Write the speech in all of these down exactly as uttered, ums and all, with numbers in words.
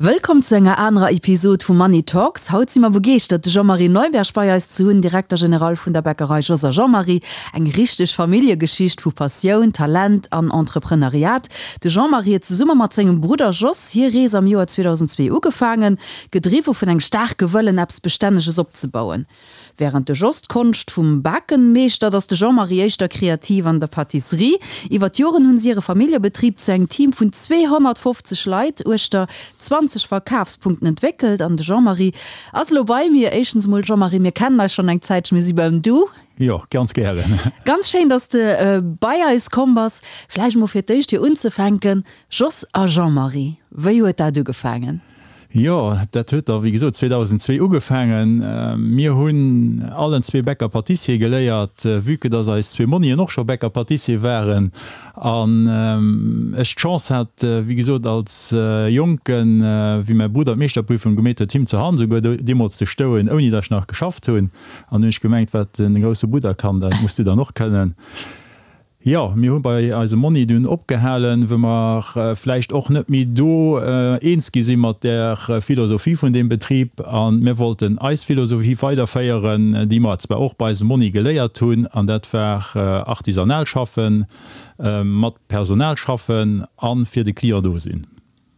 Wëllkomm zu enger anerer Episod vu Money Talks. Haut si mer begeeschtert, de Jean-Marie Neuberg bei eis ze hunn, Directeur Général vun der Bäckerei Jos a Jean-Marie. Eng richteg Familljegeschicht vu Passioun, Talent an Entreprenariat. De Jean-Marie huet zesumme mat sengem Brudder Jos hir Rees am Joer zweedausendzwee ugefaangen, gedriwwe vun engem staarke Wëllen, eppes Bestänneges opzebauen. Wärend de Jos d'Konscht vum Baken meeschtert, ass de Jean-Marie éischter kreativ an der Pâtisserie. Iwwer d'Joren hunn si hire Familljebetrib zu engem Team vun zweehonnertfofzeg Leit uechter zwanzeg Verkafspunkten entwéckelt. An de Jean-Marie ass elo bei mir. Éischtens emol, Jean-Marie, mir kennen eis schonn eng Zäitchen, mir si beim Du. Jo, ganz gären. Ganz schéin, dass de bei eis komm bass. Vläicht emol fir d'éischt hier unzefänken, Jos a Jean-Marie, wéi huet dat ugefaangen? Jo, dat huet da wéi gesot zweedausendzwee ugefaangen. Mir hunn allen zwee Bäcker-Pâtissier geléiert, vue que dass eis zwee Monnien och scho Bäcker-Pâtissier waren an ech d'Chance hat, wéi gesot als Jonken, wéi mäi Brudder d'Meeschterprüfung gemeet huet, him zur Hand esouguer deemools ze stouen, ouni dass ech nach geschafft hunn. An hunn ech gemengt, wat den grousse Brudder kann, dat muss du dann och kënnen. Jo, mir hu bei eisem Monni dunn opgehalen, wëll mer vläicht och net méi do eens gi si mat där Philosophie vun deem Betrib. A mir wollten eis Philosophie weiderféieren, déi mer zwar och bei eisem Monni geléiert hunn, an dat war artisanal schaffen, mat Personal schaffen a fir de Client do sinn.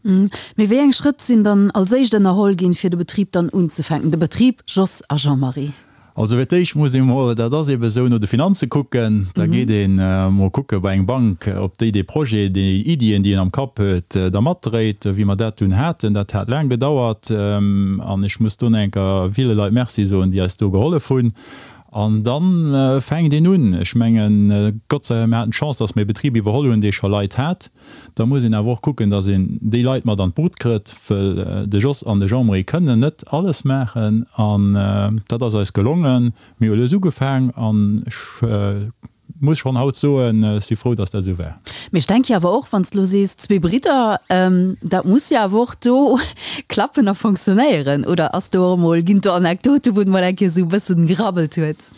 Mee wéi eng Schrëtt sinn dann als éischt ënnerholl ginn, fir de Betrib dann unzefänken, de Betrib Jos a Jean-Marie? Also fir d'éischt muss ee mol, dat ass eebe sou, no de Finanze kucken. Da geet een mol kucke bei eng Bank, ob déi dee Projet, déi Iddien, déi een am Kapp huet, da matdréit. Wéi mer dat dunn haten, dat hat laang gedauert an ech muss do nach eng Kéier ville Leit Merci soen, déi eis do gehollef hunn. An da fänkt een un. Ech mengen, Gott sei, mir haten d'Chance, datt mir e Betrib iwwerholl hunn, dee scho Leit hat. Da muss een awer och kucken, datt een déi Leit mat an d'Boot kritt, wëll de Jos an de Jean-Marie kënnen net alles maachen. An dat ass eis gelongen. Mir hu lues ugefaang an ech muss schonn haut soen, ech si frou, datt dat esou war. Mee ech denke jo awer och, wann s de elo sees, zwee Bridder, dat muss jo awer och do klappen a fonctionnéieren. Oder ass do och emol, ginn et do Anekdoten, wou et emol eng Kéier esou e bëssen gerabbelt huet?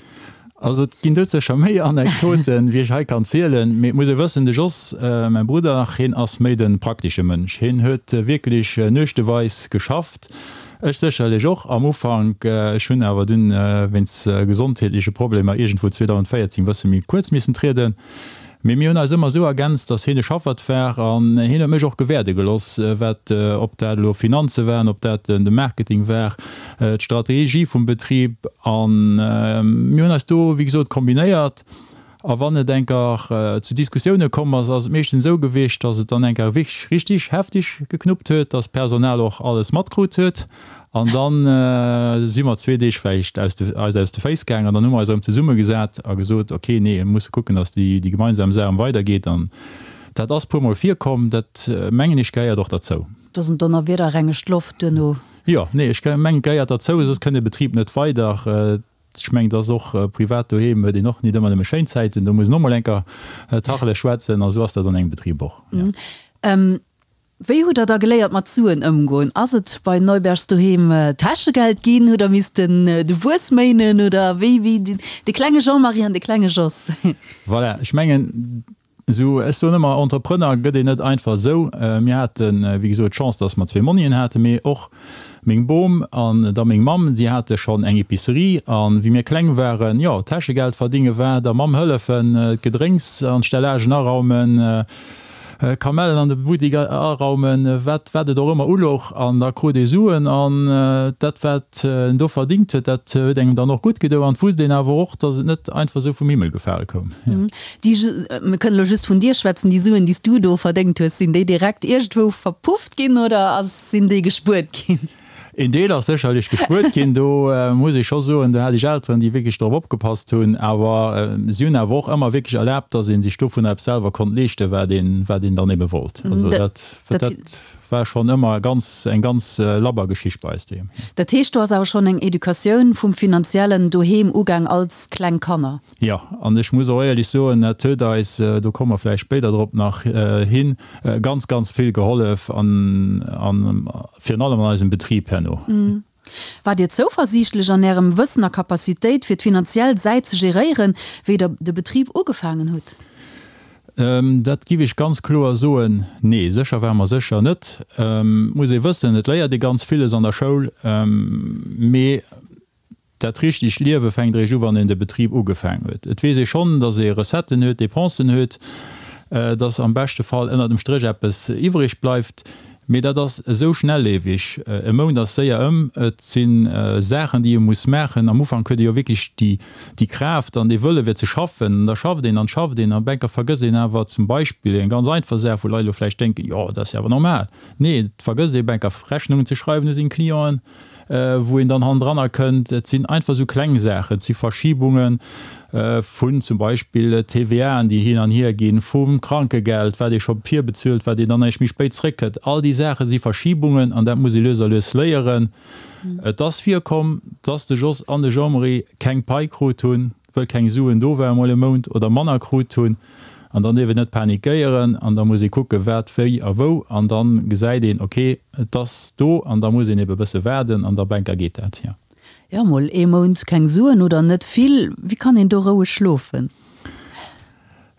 Also et ginn do sécher méi Anekdoten, wéi ech hei kann zielen. Mee et muss ee wëssen, de Jos, mäi Brudder, hien ass méi de praktesche Mënsch. Hien huet wierklech nuechteweis geschafft. Ech sécherlech och am Ufank. Ech hunn awer dunn wéinst gesondheetleche Problemer iergendwou zweedausendvéierzéng e bësse méi kuerz missen trieden. Mee mir hunn eis ëmmer esou ergänzt, datt hien e Schaffert war an hien huet mech och gewäerde geloss, wat, ob dat elo Finanze waren, ob dat de Marketing war, d'Strategie vum Betrib. A mir hunn eis do, wéi gesot, kombinéiert. A wann et enker zu Diskussioune komm ass, ass et meeschtens esou gewiescht, datt et dann enker wierklech richtig heftig geknuppt huet, datt d'Personal och alles matkrut huet. An da si mer zwee Deeg vläicht aus de, eis aus de Féiss gaangen an dann hu mer eis erëm zesummegesat a gesot, ok, nee, mir musse kucken, datt déi, déi gemeinsam Saach erëm weidergeet. An dat ass puermol virkomm. Dat, mengen ech, gehéiert och derzou. Et ass en Donnerwieder, rengegt d'Loft duerno. Jo, nee, ech mengen, et gehéiert derzou, soss kënnt e Betrib net weider. Ech mengen, et ass och privat doheem huet een och nit ëmmer nëmme schéin Zäiten. Do muss een och mol eng Kéier Tachele schwätzen a sou ass dat an engem Betrib och, jo. Wéi hutt Der da geléiert mat Suen ëmgoen? Ass et bei Neubergs doheem Täschegeld ginn? Hutt Der missten de Wuess méinen oder wéi, wéi de klenge Jean-Marie an de klenge Jos? Voilà, ech mengen, Esou, ech soen ëmmer, Entrepreneur gëtt een net einfach esou. Mir haten, wéi gesot, d'Chance, dass mer zwee Monnien haten, mee och meng Bom an da meng Mamm, déi hate schonn eng Epicerie. A wéi mir kleng waren, jo, Täschegeld verdinge war, der Mamm hëllefen, d'Gedrénks an d'Stellagen araumen, Kamellen an de Buttik araumen, wat wat et och ëmmer ulouch, an da krut ee Suen an dat wat en do verdingt huet, dat huet engem dann och gutt gedoen an et wusst een awer och, datt et net einfach esou vum Himmel gefal koum. Déi, mir kënnen elo just vun dir schwätzen, déi Suen déi s du do verdéngt hues, sinn déi direkt iergendwou verpufft ginn oder ass, sinn déi gespuert ginn? Een Deel ass sécherlech gespuert ginn, do muss ee scho soen, do hat ech Elteren, déi wierklech drop opgepasst hunn. Awer si hunn awer och ëmmer wierklech erlaabt, datt ee sech dovunner eppes selwer konnt leeschten, wat een, wat een dann ebe wollt. Also dat, dat war schonn ëmmer ganz, eng ganz labber Geschicht bei eis doheem. Dat heescht, do ass awer schonn eng Educatioun vum Finanziellen doheem ugaang als kleng Kanner? Jo, an ech muss och éierlech soen, dat huet eis, do komme mer vläicht spéider drop nach hin, ganz, ganz vill gehollef an virun allem an eisem Betrib herno. Waart Dir zouversiichtlech an Ärem Wëssen a Capacitéit, fir d'finanziell Säit ze geréieren, wéi Der de Betrib ugefaangen hutt? Dat giff ech ganz kloer soen, nee, sécher ware mer sécher net. Muss ee wëssen, et léiert ee ganz villes an der Schoul, mee dat richtegt Liewe fänkt eréischt u wann een de Betrib ugefaangen huet. Et weess ee schonn, datt ee Recetten huet, Dépensen huet, datt am beschte Fall ënnert dem Stréch eppes iwwreg bleift, mee dat ass esou schnelleeweg. E Mount ass séier ëm, et si Saachen, déi ee muss maachen. Am Ufank huet ee jo wierklech déi déi Kraaft an dee Wëlle fir ze schaffen, an da schafft een an schafft een, an op eng Kéier vergësst een awer zum Beispill eng ganz einfach Saach, wou Leit elo vläicht denken, jo dat ass jo awer normal. Nee, et vergësst ee op eng Kéier Rechnungen ze schreiwen u seng Clienten, wou een dann hannendranner kënnt. Et sinn einfach esou kleng Saachen, et si Verschibunge vun zum Beispill T V Aen, déi hin an hier ginn, vum Krankegeld, wat ee scho virbezuelt, wat een dann eréischt méi spéit zréckkritt. All déi Saache si Verschibungen an dat muss ee lues a lues léieren. Et ass virkomm, dass de Jos an de Jean-Marie keng Pai krut hunn, wëll keng Suen do waren, emol e Mount, oder manner krut hunn. An dann dierf een net panikéieren an da muss ee kucken, wat, wéi a wou. An da gesäit een, okay, et ass do an da muss een ebe bësse waarden an da bänker geet dat, jo. Jo, mol ee Mount keng Suen oder net vill, wéi kann een do roueg schlofen?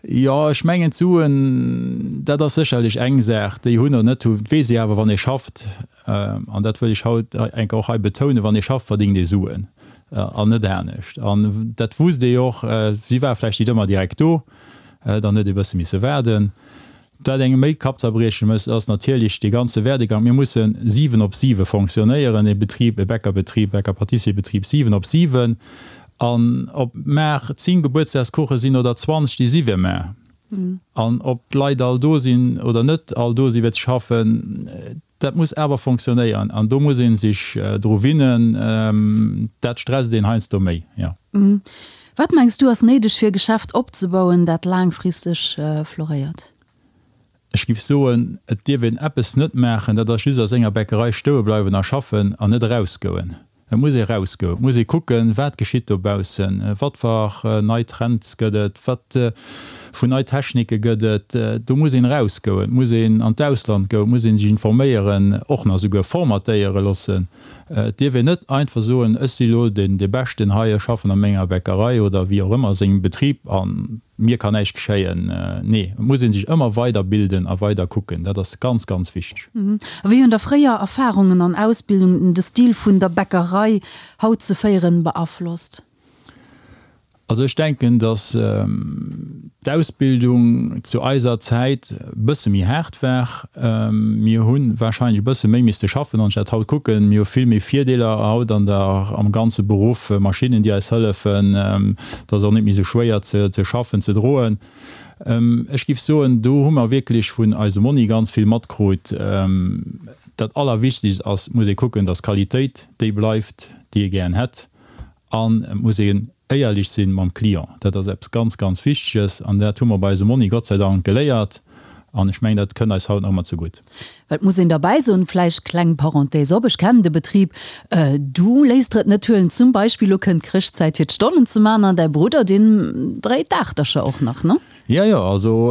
Jo, ech mengen d'Suen, dat ass sécherlech eng Saach, déi hunn oder net hunn, weess ee awer, wann ee schafft, an dat wëll ech haut eng Kéier och hei betounen, wann ee schafft, verdéngt ee Suen an net anescht. An dat wusst ee och, si war vläicht nit ëmmer direkt do, dann huet ee bësse misse waarden. Wat engem méi Kappzerbrieche mécht, ass natierlech dee ganze Werdegang. Mir musse siwen op siwe fonctionnéieren, e Betrib, e Bäckerbetrib, Bäcker-Pâtissier-Betrib, siwen op siwen. An ob mar zéng Gebuertsdagskuche sinn oder zwanzeg, déi si wir mar. An ob d'Leit all do sinn oder net all do si fir ze schaffen, dat muss awer fonctionnéieren. An do muss ee sech dru winnen. Dat stresst een heiansdo méi, jo. Wat mengs du ass néideg fir e Geschäft opzebauen, dat laangfristeg floréiert? Ech giff soen, et dierf een eppes net maachen, dat ass just a senger Bäckerei stoe bleiwen a schaffen an net erausgoen. Et muss ee rausgoen, et muss ee kucken, wat geschitt dobaussen, wat fir nei Trends gëtt et, wat vun nei Technike gëtt et. Do muss een erausgoen, et muss een an d'Ausland goen, et muss ee sech informéieren, och nach esouguer formatéiere loossen. Et dierf een net einfach soen, ech si lo deen dee Beschten hei, ech schaffen a menger Bäckerei oder wéi och ëmmer sengem Betrib a mir kann näischt geschéien. Nee, et muss ee sech ëmmer weiderbilden a weider kucken. Dat ass ganz, ganz wichteg. A wéi hunn da fréier Erfarungen an Ausbildungen de Stil vun der Bäckerei haut ze féieren beaflosst? Also ech denken, datt d'Ausbildung zu eiser Zäit e bësse méi haart war. Mir hu warscheinlech e bësse méi misste schaffen, wann ech dat haut kucken. Mir hu vill méi Virdeeler haut an der, am ganze Beruff, Maschinnen, déi eis hëllefen. Et ass och net méi esou schwéier ze, ze schaffen, ze droen. Ech géif soen, do hu mer wierklech vun eisem Monni ganz vill matkrut. Dat Allerwichtegst ass, et muss ee kucken, datt d'Qualitéit déi bleift, déi ee gären hätt. An et muss een éierlech sinn mam Client. Dat ass eppes ganz, ganz Wichteges an dat hu mer bei eisem Monni Gott sei Dank geléiert an ech mengen, dat kënnt eis haut nach ëmmer zegutt. Well et muss een derbäi soen, vläicht kleng Parenthèse op, ech kennen de Betrib, du léiss der et net huelen, zum Beispill, elo kënnt d'Chrëschtzäit, fir d'Stonnen ze maachen an däi Brudder, deen dréit d'Aachtercher och nach, ne? Jo, jo, also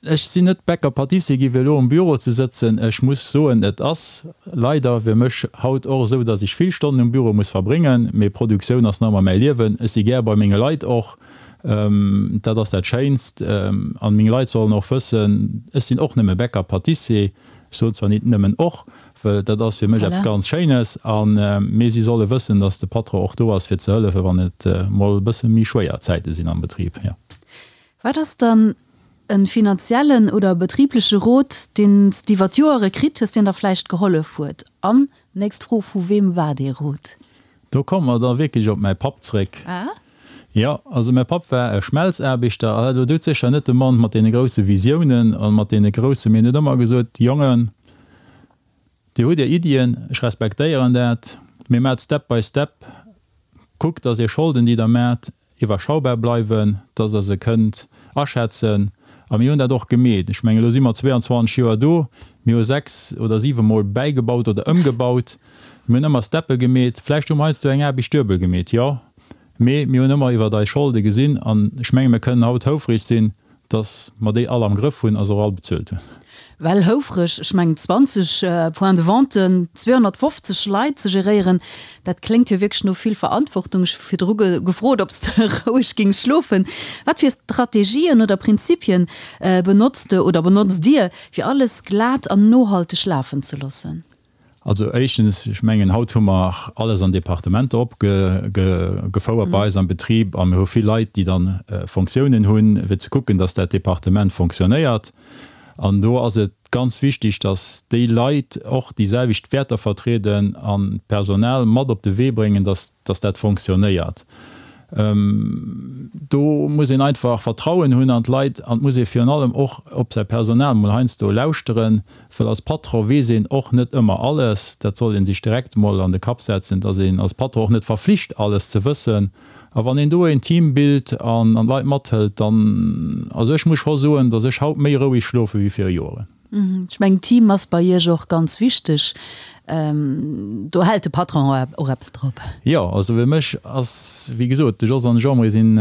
Ech sinn net Bäcker-Patissier gi fir elo um Büro ze sëtzen. Ech muss soen, et ass leider fir mech haut och esou, datt ech vill Stonnen um Büro muss verbréngen. Mee Produktioun ass nach ëmmer mäi Liewen. Ech si gär bei menge Leit och. Dat ass dat Schéinst. An meng Leit sollen och wëssen, ech sinn och nëmme Bäcker-Patissier. Ech soen zwar nit nëmmen och, well dat ass fir mech eppes ganz Schéines. An, mee si solle wëssen, datt de Patron och do ass fir ze hëllefen, wann et mol e bësse méi schwéier Zäite sinn am Betrib, jo. Wat ass dann e finanziellen oder betribleche Rot, deen s d'iwwer d'Joere kritt hues, deen der vläicht gehollef huet? An, nächst Fro, vu weem war dee Rot? Do komme mer da wierklech op mäi Papp zréck. Ah? Jo, also mäi Papp war e Schmelzaarbechter a hat elo doudsécher net de Mann mat deene grousse Visiounen a mat deene grousse, mee en huet ëmmer gesot, Jongen, Dir hutt Är Iddien, ech respektéieren dat, mee maacht step by step, kuckt, dass Är Scholden, déi Der maacht, iwwerschaubar bleiwen, dass Der se kënnt aschätzen. A mir hunn dat och gemeet. Ech mengen, elo si mer zwéianzwanzeg Joer do, mir hu sechs oder siwe Mol bäigebaut oder ëmgebaut. Mir hunn ëmmer Steppe gemeet. Vläicht hu mer heiansdo eng Aarbecht duebel gemeet, jo, mee mir hunn ëmmer iwwert eis Scholde gesinn. An ech menge mir kënnen haut houfreg sinn, dass mer déi all am Grëff hunn a se och all bezuelt hunn. Well houfreg, ech mengen zwanzeg Points de vente, zweehonnertfofzeg Leit ze geréieren, dat kléngt jo wierklech no vill Verantwortung. Ech hu virdru gefrot, ob s de roueg géings schlofen. Wat fir Strategien oder Prinzipien benotzt de oder benotzt Dir, fir alles glat an nohalteg lafen ze loossen? Also éischtens, ech mengen, haut hu mer alles an Departementer opgefouert bei eis am Betrib a mir hu vill Leit, déi dann Fonctiounen hunn, fir ze kucken, dass dat Departement fonctionnéiert. An do ass et ganz wichtig, dass déi Leit och déi selwecht Wäerter vertrieden an d'Personal mat op de Wee bréngen, dass dass dat fonctionnéiert. Do muss een einfach Vertrauen hunn an d'Leit an et muss ee virun allem och op säi Personal mol heiansdo lauschteren, well als Patron weess een och net ëmmer alles. Dat soll ee sech direkt mol an de Kapp setzen, dass een als Patron och net verflicht alles ze wëssen. A wann een do een Team bilt an d'Leit mathëlt, dann, also ech muss scho soen, dass ech haut méi roueg schlofe wéi viru Joren. Ech mengen, Team ass bei Iech och ganz wichteg. Do hält de Patron och eppes drop. Jo, also fir mech ass, wéi gesot, de Jos an de Jean-Marie sinn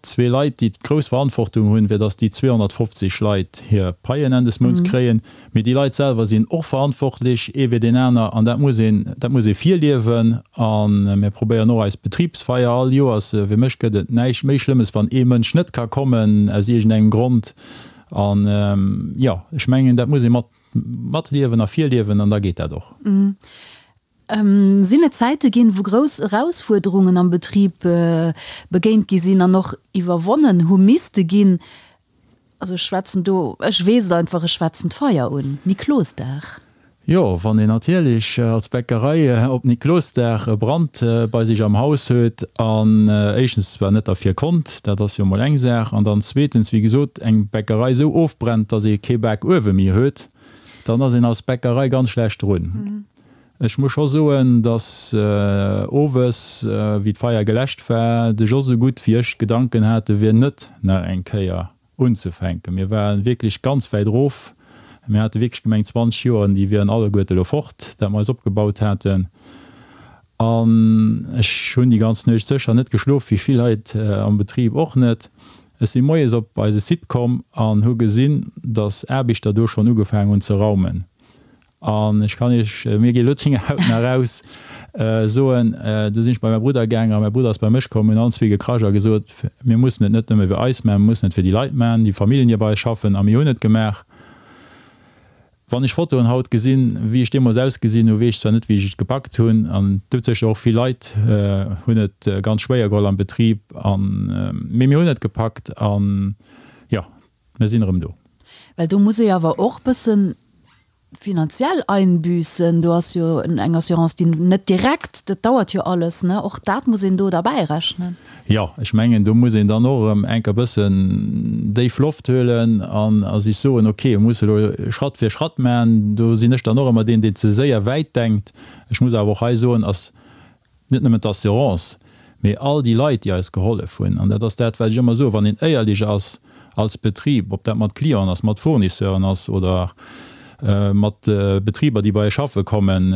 zwee Leit, déi d'grouss Verantwortung hunn, fir datt déi zweehonnertfofzeg Leit hir Paien Enn des Mounts kréien. Mee déi Leit selwer sinn och verantwortlech, ee fir deen aner, an dat muss een, dat muss ee virliewen. A mir probéieren och eis Betribsfeier all Joers. Fir mech gëtt et näischt méi Schlëmmes, wann ee Mënsch net ka kommen aus iergendengem Grond. An jo, ech mengen, dat muss ee mat matliewen a virliewen an da geet dat och. Sinn et Zäite ginn, wou grouss Erausfuerderungen am Betrib begéint gi sinn an och iwwerwonnen hu misste ginn? Also ech schwätzen do, ech weess et einfach, ech schwätzen d'Feier un, Niklosdag. Jo, wann een natierlech als Bäckerei op Niklosdag e Brand bei sech am Haus huet an éischtens zwar net derfir konnt, dat ass jo mol eng Saach, an dann zweetens, wéi gesot, eng Bäckerei esou ofbrennt, datt ee kee Bakuewe méi huet, dann ass een als Bäckerei ganz schlecht drun. Ech muss scho soen, datt owes, wéi d'Feier geläscht war, de Jos esou gutt wéi ech Gedanken hate fir net nach eng Kéier unzefänken. Mir waren wierklech ganz wäit erof. Mir hate wierklech gemengt, zwanzeg Joer, déi wieren alleguerte elo fort, dat mer eis opgebaut haten. An ech hunn déi ganz Nuecht sécher net geschlof, wéi vill Leit am Betrib och net. Ech si moies op eise Site komm an hu gesinn, dass Aarbechter do schonn ugefaangen hunn ze raumen. An ech kann Iech, mir geet elo d'Fingerhaut nach raus, soen, du sinn ech bei mäi Brudder gaangen a mäi Brudder ass bei mech komm, mir hunn allen zwee gekrasch a gesot, mir mussen et net nëmme fir eis maachen, mir mussen et fir déi Leit maachen, déi Familljen, déi bei eis schaffen. A mir hunn et gemaach. Wann ech Fotoen haut gesinn, wéi ech deemools ausgesinn hu, weess ech zwar net, wéi ech et gepackt hunn. An doudsécher och vill Leit hunn et ganz schwéier geholl am Betrib. An, mee mir hunn et gepackt an, jo, mir sinn erëm do. Well do muss ee jo awer och bëssen finanziell Einbüßen, do ass jo eng Assurance, déi net direkt, dat dauert jo alles, ne, och dat muss een do derbäi rechnen. Jo, ech mengen, do muss een dann och erëm enker bëssen déif Loft huelen an a sech soen, okay, mir musse elo Schratt fir Schratt maachen. Do sinn ech dann och ëmmer deen, deen ze séier wäit denkt. Ech muss awer och hei soen, ass net nëmmen d'Assurance, mee all déi Leit, déi eis gehollef hunn, an dat ass dat, wat ech ëmmer soen, wann een éierlech ass als Betrib, ob dat mat Clienten ass, mat Fournisseuren ass oder mat Betriber, déi bei eis schaffe kommen,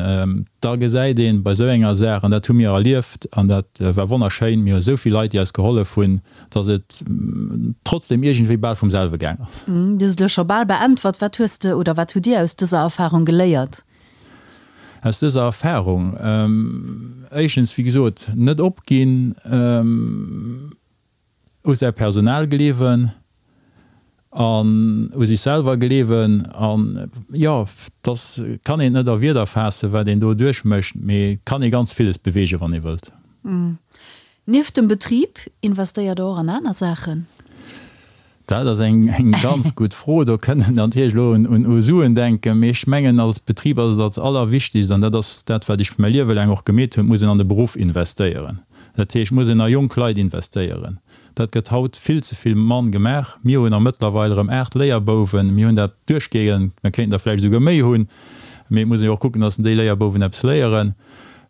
da gesäit een bei esou enger Saach, an dat hu mir erlieft an dat war wonnerschéin, mir hu esou vill Leit, déi eis gehollef hunn, datt et trotzdem iergendwéi bal vum selwe gaang ass. Du hues et elo scho bal beäntwert. Wat hues de oder wat hutt Dir aus dëser Erfahrung geléiert? Aus dëser Erfahrung? Éischtens, wéi gesot, net opginn, u säi Personal gleewen an u sech selwer gleewen. An jo, dass kann een et net a Wierder faassen, wat een do duerchmécht, mee et kann ee ganz villes beweegen, wann ee wëllt. Nieft dem Betrib investéiert Der och an aner Saachen? Dat ass eng ganz gutt Fro. Do kënnt een natierlech elo un Suen denken. Mee ech mengen, als Betrib ass et als Allerwichtigst, an dat ass dat, wat ech mäi Liewe laang och gemeet hunn, et muss een an de Beruff investéieren. Dat heescht, et muss een a jonk Leit investéieren. Dat gëtt haut vill ze vill mann gemaach. Mir hunn der mëttlerweil erëm aacht Léierbouwen. Mir hunn dat duerchgehend. Mir kéinten der vläicht esouguer méi hunn. Mee et muss een jo och kucken, datt déi Léierbouwen eppes léieren.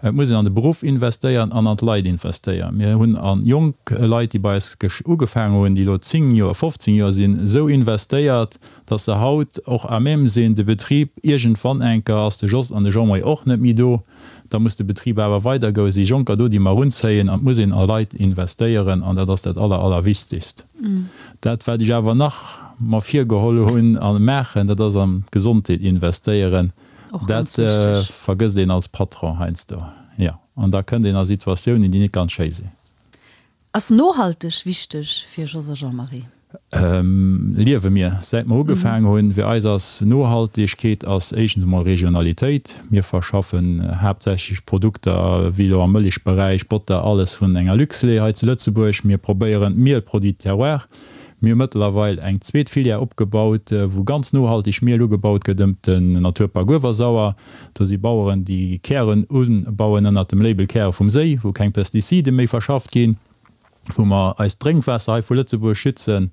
Et muss een an de Beruff investéieren an an d'Leit investéieren. Mir hunn a jonk Leit, déi bei eis ugefaangen hunn, déi elo zéng Joer, fofzéng Joer sinn, esou investéiert, datt se haut och à même sinn, de Betrib, iergendwann enker ass de Jos an de Jean-Marie och net méi do, Da muss de Betrib awer weidergoen. Et si Jonker do, déi mer erunzéien, an et muss een a Leit investéieren an dat ass dat aller, allerwichtigst. Dat, wat ech awer nach mer virgeholl hunn a maachen, dat ass an d'Gesondheet investéieren. Dat vergësst een als Patron heiansdo, jo. An da kënnt een a Situatiounen, déi net ganz schéi sinn. Ass nohalteg wichteg fir Jos a Jean-Marie? Liewe mir säit mer ugefaangen hunn. Fir eis ass Nohaltegkeet ass éischtens emol Regionalitéit. Mir verschaffen haaptsächlech Produkter wéi elo am Mëllechberäich, Botter, alles vun enger Luxlait hei zu Lëtzebuerg. Mir probéieren Miel produit terroir. Mir hu mëttlerweil eng zweet Filière opgebaut, wou ganz nohalteg Miel ugebaut gëtt ëm den Naturpark Uewersauer. Do si Baueren, déi Kären ubauen ënnert dem Label Käre vum Séi, wou keng Pestizide méi verschafft ginn. wou mer eist Drénkwaasser hei vu Lëtzebuerg schützen,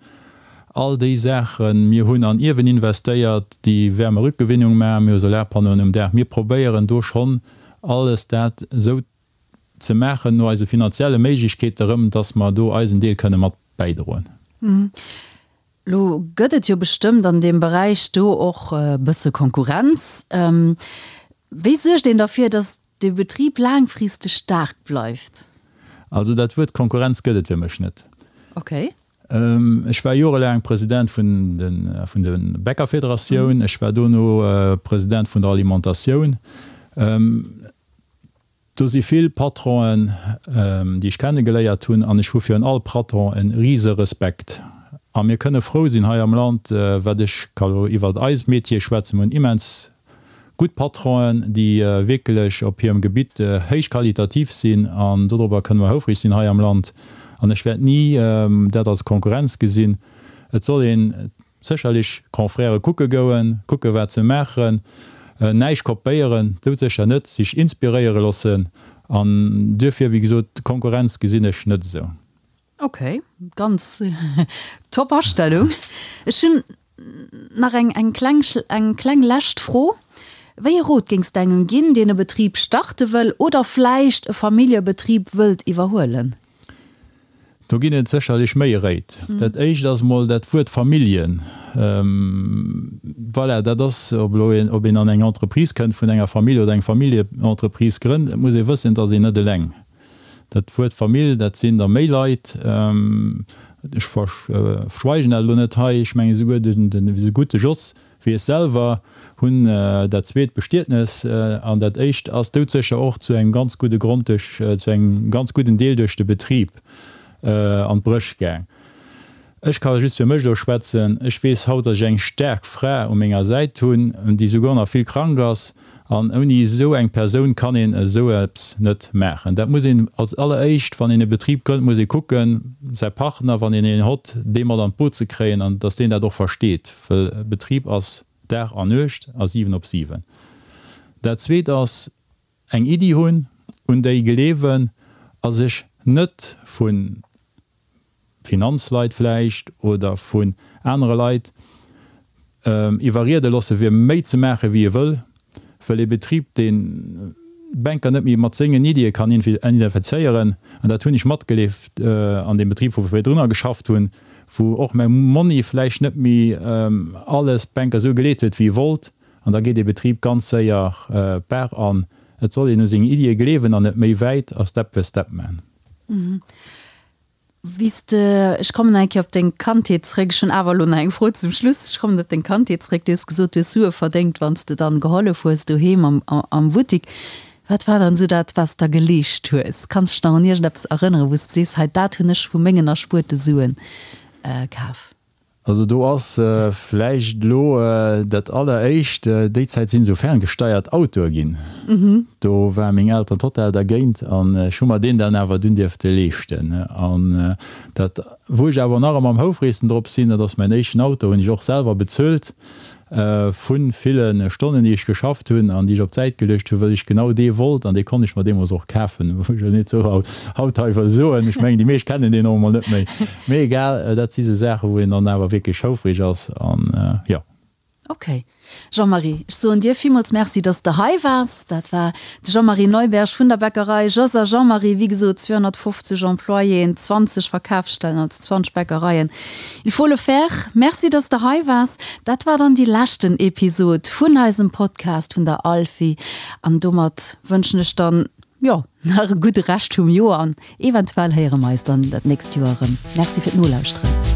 all déi Saachen. Mir hunn an Iewen investéiert, déi Wärmerückgewinnung maachen, mir hu Solarpannoen um Daach. Mir probéieren do schonn alles dat esou ze maachen, no eise finanzielle Méiglechkeete erëm, dass mer do eisen Deel kënne mat bäidroen. Lo gëtt et jo bestëmmt an deem Beräich do och e bësse Konkurrenz. Wéi suergt een derfir, dass de Betrib laangfristeg staark bleift? Also dat Wuert Konkurrenz gëtt et fir mech net. Okay. Ech war jorelaang President vun de Bäckerfederatioun, ech war dono President vun der Alimentatioun. Do si vill Patronen, déi ech kennegeléiert hunn, an ech hu virun all Patron e rise Respekt. A mir kënne frou sinn hei am Land, wat ech ka lo iwwert eis Métier schwätzen, mir hunn immens gutt Patronen, déi wierklech op hirem Gebitt héich qualitativ sinn, an dodrobber kënne mer houfreg sinn hei am Land. An ech wäert ni dat als Konkurrenz gesinn. Et soll ee sécherlech Confrèrë kucke goen, kucke wat se maachen, näischt kopéieren, doudsécher net, sech inspiréiere loossen. An duerfir, wéi gesot, Konkurrenz gesinn ech net esou. Ok, ganz top Astellung. Ech hunn nach eng eng kleng eng kleng lescht Fro. Wéi ee Rot géings de engem ginn, deen e Betrib starte wëll oder vläicht e Familljebetrib wëllt iwwerhuelen? Do ginn et sécherlech méi Réit. Dat éischt ass emol dat Wuert Familljen. Voilà, dat ass, ob elo een, ob een an eng Entreprise kënnt vun enger Famill oder eng Familljenentreprise grënnt, et muss ee wëssen, et ass een net eleng. Dat Wuert Famill, dat sinn der méi Leit. Ech verschweigen dat elo net hei, ech mengen esouguer den, esou gutt de Jos wéi ech selwer hunn dat zweet Bestietnes. An dat éischt ass doudsécher och zu engem ganz gudde Grond duerch, zu engem ganz gudden Deel duerch de Betrib an d'Bréch gaang. Ech ka just fir mech elo schwätzen. Ech weess haut, datt ech eng staark Fra u menger Säit hunn, déi souguer nach vill krank ass. An ouni esou eng Persoun kann een esou eppes net maachen. Dat muss een als alleréischt, wann een e Betrib grënnt, muss ee kucken, säi Partner, wann een een hott, dee mat an d'Boot ze kréien an datt deen dat och versteet. Wëll e Betrib ass Dag an Nuecht a siwen op siwen. Dat Zweet ass, eng Iddi hunn, un déi gleewen a sech net vu Finanzleit vläicht oder vun anere Leit iwwerriede loosse fir méi ze maache wéi e wëll, wëll ee Betrib deen d'Banker net méi mat sengen Iddie kann identifizéieren, an dat hunn ech matgelieft an deem Betrib wou ech virdrunner geschafft hunn, wou och mäi Monni vläicht net méi alles d'Banker esou geleet huet wéi e wollt, an da geet ee Betrib ganz séier d'Baach an. Et soll een u seng Iddie gleewen an net méi wäit a Step by Step man. Wéi s de, ech kommen nach eng Kéier op deng Kandheet zréck, ech hunn awer elo nach eng Fro zum Schluss, ech kommen op deng Kandheet zréck, du hues gesot, du hues Sue verdéngt, wann s de dann gehollef hues doheem am, am Buttik. Wat war dann esou dat, wat s der geleescht hues? Kanns dech nach un iergendeppes erënneren, wou s de sees, hei dat hunn ech vu mengen erspuerte Suen kaf? Also do ass vläicht elo dat alleréischt, déi Zäit sinn esou ferngesteiert Autoe ginn. Do ware meng Elteren total dergéint an ech hu mer deen dann awer dunn dierfte leeschten. An dat wou ech awer nach ëmmer am houfregsten drop sinn, dat ass mäin éischten Auto, hunn ech och selwer bezuelt. Vu ville Stonnen, déi ech geschafft hunn an déi ech op d'Säit geluecht hunn, wëll ech genau dee wollt, an dee konnt ech mer deemools och kafen, wou ech elo net sou haut hei wëll soen. Ech mengen, déi meescht kennen deen och emol net méi. Mee egal, dat si sou Saachen, wou een dann awer wierklech houfreg ass an jo. Ok. Jean-Marie, ech soen dir villmools Merci, dass de hei waars. Dat war de Jean-Marie Neuberg vun der Bäckerei Jos a Jean-Marie. Wéi gesot, zweehonnertfofzeg Employéen, zwanzeg Verkafsstellen, also zwanzeg Bäckereien. Il faut le faire. Merci, dass de hei waars. Dat war dann déi leschten Episod vun eisem Podcast vun der Alfi. An domat wënschen ech dann, jo, nach e gudde Rescht vum Joer an eventuell héiere mer eis dann dat nächst Joer erëm. Merci fir d'Nolauschteren.